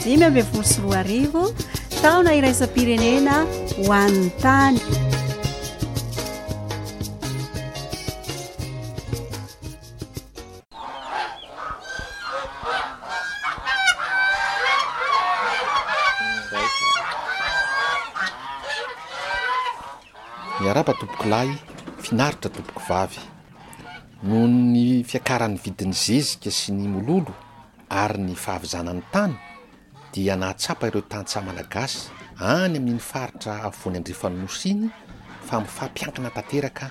2015, taona iraisam-pirenena ho an'ny tany. Miarahaba tompokolahy, finaritra tompokovavy. Noho ny fiakaran'ny vidin'ny zezika sy ny mololo ary ny fahavizanan'ny tany dia nahatsapa ireo tantsaha malagasy any amin'iny faritra afovoany andrefan'ny Nosy iny fa mifampiankina tanteraka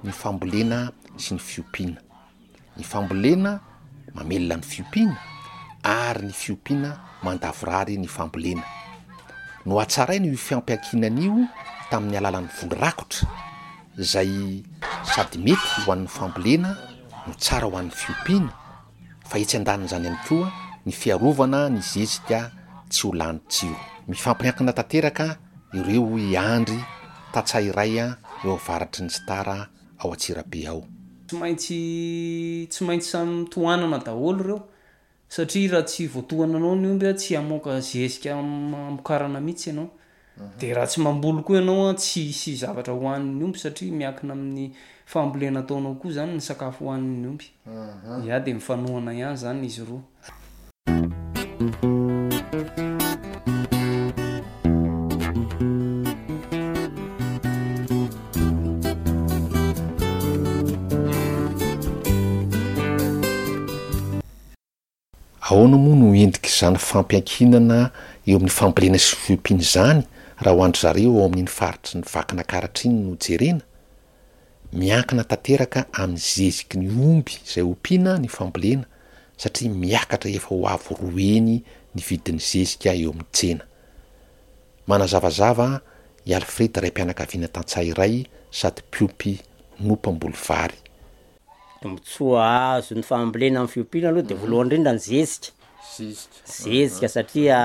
ny fambolena sy ny fiompiana. Ny fambolena mamelona ny fiompiana ary ny fiompiana mandavorary ny fambolena. Nohatsaraina io fiampiankinana io tamin'ny alalan'ny voly rakotra izay sady mety ho an'ny fambolena no tsara ho an'ny fiompiana fa etsy andanin'izany ihany koa ny fiarovana ny zezika tsy ho lany tsiro. Mifampiankina tanteraka ireo hoy i Andry, tantsaha iray eo avaratry ny Star ao Antsirabe ao. Tsy maintsy tsy maintsy samy tohanana daholo ireo satria raha tsy voatohananao ny omby tsy hamoaka zezika hamokarana mihitsy ianao. Dia raha tsy mamboly koa ianao tsy hisy zavatra hohanin'ny omby satria miankina amin'ny fambolena ataonao koa izany ny sakafo hohanin'ny omby. Ya dia mifanohana ihany izany izy roa. Ahoana moa no endrik'izany fampiankinana eo amin'ny fambolena sy fiompiana izany raha ho an-dry zareo ao amin'iny faritry ny Vakinakaratra iny no jerena? Miankina tanteraka amin'ny zeziky ny omby izay ompiana ny fambolena satria miakatra efa ho avo roa heny ny vidin'ny zezika eo amin'ny tsena. Manazavazava i Alfred raim-pianakaviana tantsaha iray sady mpiompy no mpamboly vary. Tombontsoa azo ny fambolena amin'ny fiompiana aloha de voalohany indrindra ny zezika, zezika satria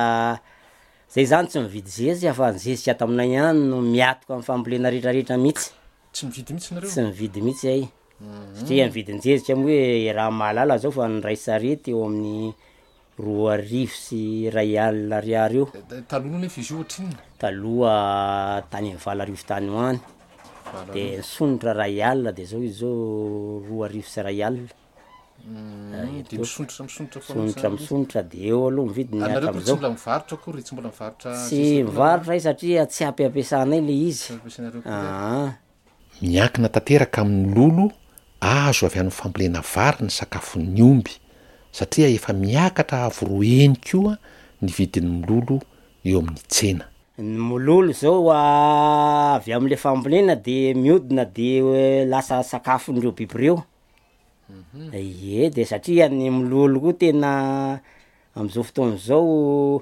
zay zany tsy mividy zezika fa ny zezika ato aminay ihany no miatoka amin'ny fambolena retraretra mihitsy. Tsy mividy mihitsy nareo? Tsy mividy mihitsy zay, satria ny vidin-jezika moa hoe raha mahalala zao fa ny ray sarety eo amin'ny 2002 ariary eo. Taloha nefa izy io ohatrinona? Taloha tany amin'ny 8000 tany ho any, de nisondrotra ray alina de zao izy zao 2002. De misondrotra misondrotra foana Misondrotra misondrotra de eo aloha ny vidiny Ary nareo koa tsy hatramin'izao. mbola mivarotra akory, tsy mbola mivarotra Tsy zezika koa nareo? mivarotra ay satria tsy ampy ampiasanay le izy. Tsy ampiasainareo koa. Aa. Miankina tanteraka amin'ny lolo azo avy amin'ny fambolena vary ny sakafon'ny omby, satria efa miakatra avo roa heny koa ny vidin'ny mololo eo amin'ny tsena. Ny mololo zao avy amin'le fambolena de miodina de lasa sakafon'ireo biby ireo. Ie, de satria ny mololo koa tena am'zao fotoana zao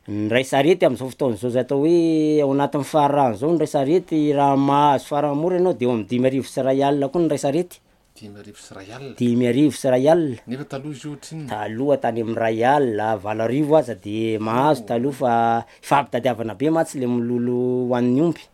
Ny ray sarety am'zao fotoana zao zay atao hoe ao anatin'ny fararano zao ny ray sarety raha mahazo farany mora ianao de eo am'dimy arivo sy iray alina koa ny ray sarety. 1500? 1500. Nefa taloha izy io ohatrinona? Taloha tany am'ray alina, 8000 aza de mahazo taloha fa ifampitadiavana be mantsy le mololo ho an'ny omby.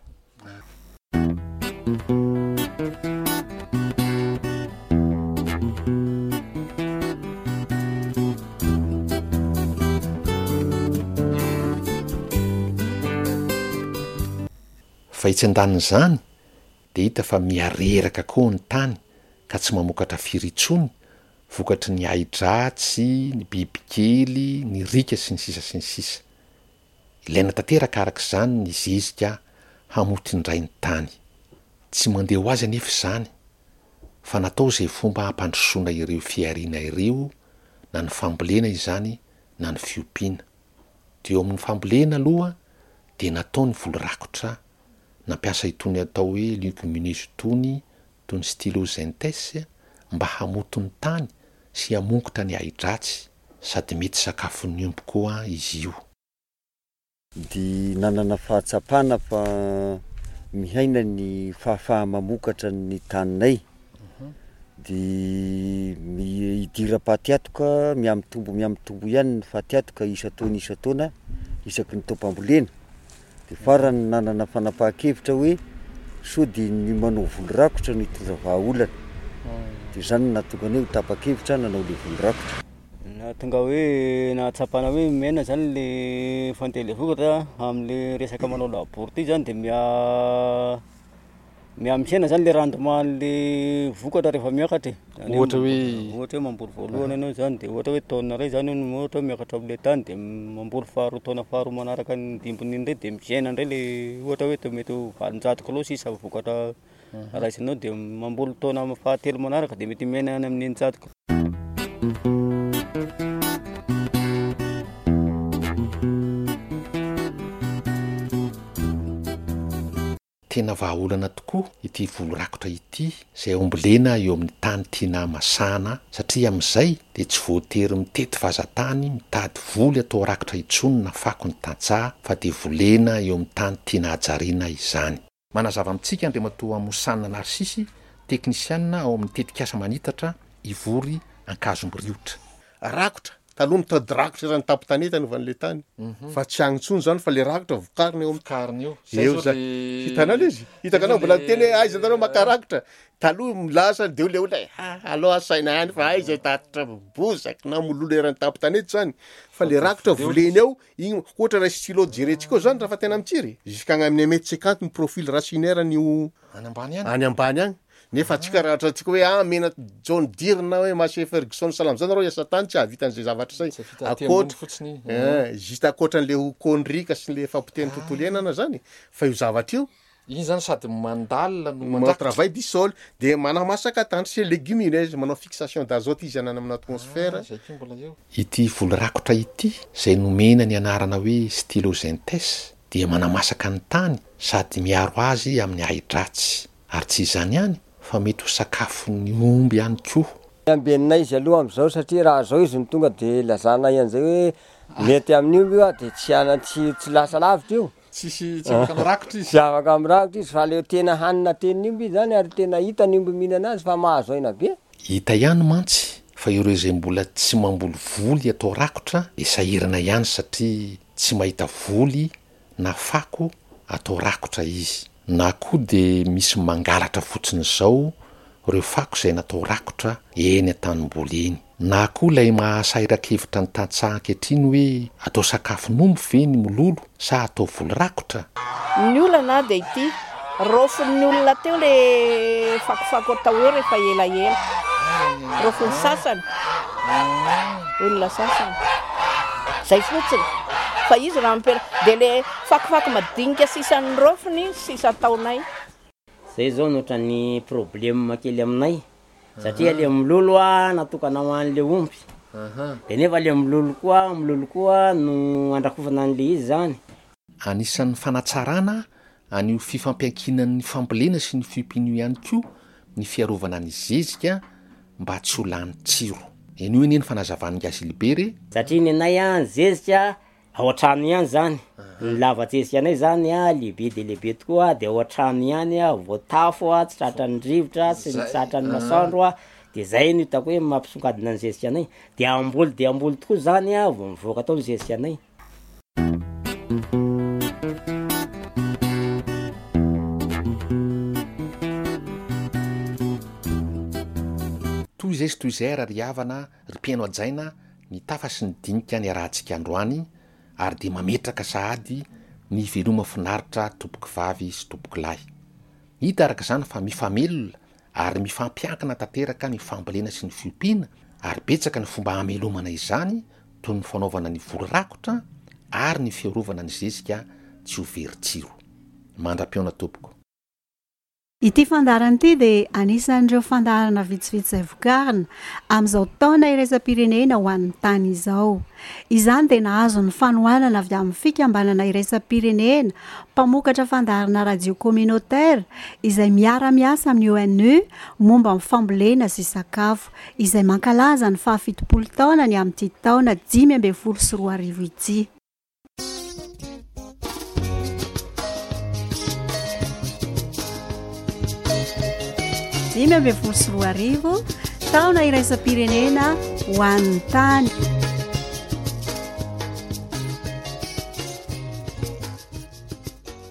Fa etsy andanin'izany dia hita fa miha-reraka koa ny tany ka tsy mamokatra firy intsony vokatry ny ahi-dratsy, ny bibikely, ny riaka sy ny sisa sy ny sisa. Ilaina tanteraka araka izany ny zezika hamoty indray ny tany. Tsy mandeha ho azy anefa izany fa natao izay fomba hampandrosoana ireo fihariana ireo na ny fambolena izany na ny fiompiana. Teo amin'ny fambolena aloha dia natao ny voly rakotra, nampiasa itony atao hoe legumineuses itony toy ny stylosinthes mba hamoty ny tany sy hamongotra ny ahi-dratsy sady mety sakafon'ny omby koa izy io. Dia nanana fahatsapana fa mihaina ny fahafaha-mamokatra ny taninay. Dia idiram-patiatoka, mihamitombo mihamitombo ihany ny fatiatoka isan-taona isan-taona, isaky ny taom-pambolena. Dia farany nanana fanapahan-kevitra hoe sao dia ny manao voly rakotra no hitondra vahaolana. Dia izany no nahatonga anay ho tapa-kevitra nanao ilay voly rakotra. Nahatonga hoe nahatsapana hoe mihena zany le fandeha le vokatra am'le resaka manao labour ty zany de miha miha mihena zany le rendement an'le vokatra rehefa miakatra e. Zany hoe Ohatra hoe ohatra hoe mamboly voalohany ianao zany de ohatra hoe taonina iray zany no ohatra hoe miakatra am'le tany de mamboly faharoa taona faharoa manaraka ny dimbin'iny ndray de mihena ndray le ohatra hoe to mety ho 800 kilao sisa vokatra raisinao de mamboly taona fahatelo manaraka de mety mihena any amin'ny 600 kilao. Tena vahaolana tokoa ity voly rakotra ity izay ombolena eo amin'ny tany tiana hamasahana satria amin'izay dia tsy voatery mitety vazan-tany mitady voly atao rakotra intsony na fako ny tantsaha fa dia volena eo amin'ny tany tiana hajariana izany. Manazava amintsika Andriamatoa Mosana Narcisy, teknisianina ao amin'ny tetikasa manitatra Ivory Ankazomiriotra. Rakotra, taloha mitady rakotra eran'ny tampon-tanety anaovan'ilay tany, fa tsy agny intsony zany fa le rakotra vokarina eo Vokarina eo. Eo zany. Hitanao le izy? Hitako anao mbola niteny hoe aiza nareo maka rakotra? Taloha milaza de le olona ha aleo asaina ihany fa aiza hitatitra bozaka na mololo eran'ny tampon-tanety zany, fa le rakotra volena eo, igny ohatra raha stylo jerentsika eo zany raha fa tena mitsiry, jusqu'à agny amin'ny un mètre cinquante ny profil racinaire an'io Any ambany any. Any ambany agny. Nefa antsika raha ohatra antsika hoe ah mena John Deere na hoe Massey Ferguson sahala am'zany nareo hiasa tany tsy hahavita an'izay zavatra zay. Tsy hahavita aty ambony Ankoatra fotsiny. eh, juste ankoatran'le ho connerie sy le fahapotehan'ny tontolo iainana zany, fa io zavatra io Iny zany sady mandalina no manao mandrakotra. travail du sol, de manamasaka tany sy légumineuse, manao fixation d'azote izy any amin'ny atmosphère. Ah, zay koa mbola eo. Ity voly rakotra ity, izay nomena ny anarana hoe Stylosinthes, dia manamasaka ny tany sady miaro azy amin'ny ahi-dratsy. Ary tsy izany ihany fa mety ho sakafon'ny omby ihany koa. Ambenina izy aloha amin'izao satria raha zao izy no tonga de lazanay an'izay hoe mety amin'io io a de tsy ana- tsy tsy lasa lavitra io. Tsisy tsy afaka mirakotra izy. Tsy afaka mirakotra izy fa le tena hanina tenin'ny omby izy zany ary tena hita ny omby mihinana azy fa mahazo aina be. Hita ihany mantsy fa ireo izay mbola tsy mamboly voly atao rakotra dia sahirana ihany satria tsy mahita voly na fako atao rakotra izy. Na koa dia misy mangalatra fotsiny izao ireo fako izay natao rakotra eny an-tanimboly eny. Na koa ilay mahasahiran-kevitra ny tantsaha ankehitriny hoe atao sakafon'omby ve ny mololo sa atao voly rakotra? Ny olana dia ity, raofin'ny olona teo le fakofako atao eo rehefa elaela, raofin'ny sasany, olona sasany, zay fotsiny, fa izy raha mipera, dia le fakofako madinika sisan'ny raofiny sisa ataonay. Zay zao no ohatran'ny problème kely aminay satria le mololo a natokana ho an'le omby de nefa le mololo koa mololo koa no andrakofana an'le izy zany. Anisan'ny fanatsarana an'io fifampiankinan'ny fambolena sy ny fiompiana io ihany koa ny fiarovana ny zezika mba tsy ho lany tsiro. Henoy anie ny fanazavan'i Gazilibera e! Satria nenay a ny zezika Ao an-trano ihany zany, ny lava-tezika anay zany a lehibe dia lehibe tokoa de ao an-trano ihany a, voatafo a, tsy tratran'ny rivotra sy ny tratran'ny masoandro a, de zay no hitako hoe mampisongadina ny zezika anay, de hamboly dia hamboly tokoa zany a vao mivoaka tao ny zezika anay. Toy izay sy toy izay ary ry havana, ry mpihaino hajaina, ny tafa sy ny dinika niarahantsika androany ary dia mametraka sahady ny veloma finaritra tompokovavy sy tompokolahy. Hita araka izany fa mifamelona ary mifampiankina tanteraka ny fambolena sy ny fiompiana ary betsaka ny fomba hamelomana izany toy ny fanaovana ny voly rakotra ary ny fiarovana ny zezika tsy ho very tsiro. Mandra-pihaona tompoko. Ity fandaharana ity dia anisan'ireo fandaharana vitsivitsy izay vokarina amin'izao taona iraisam-pirenena ho an'ny tany izao. Izany dia nahazo ny fanohanana avy amin'ny fikambanana iraisam-pirenena mpamokatra fandaharana radio communautaire izay miara-miasa amin'ny ONU momba ny fambolena sy sakafo, izay mankalaza ny fahafitopolo taonany amin'ity taona 2015 ity. 2015, taona iraisam-pirenena ho an'ny tany.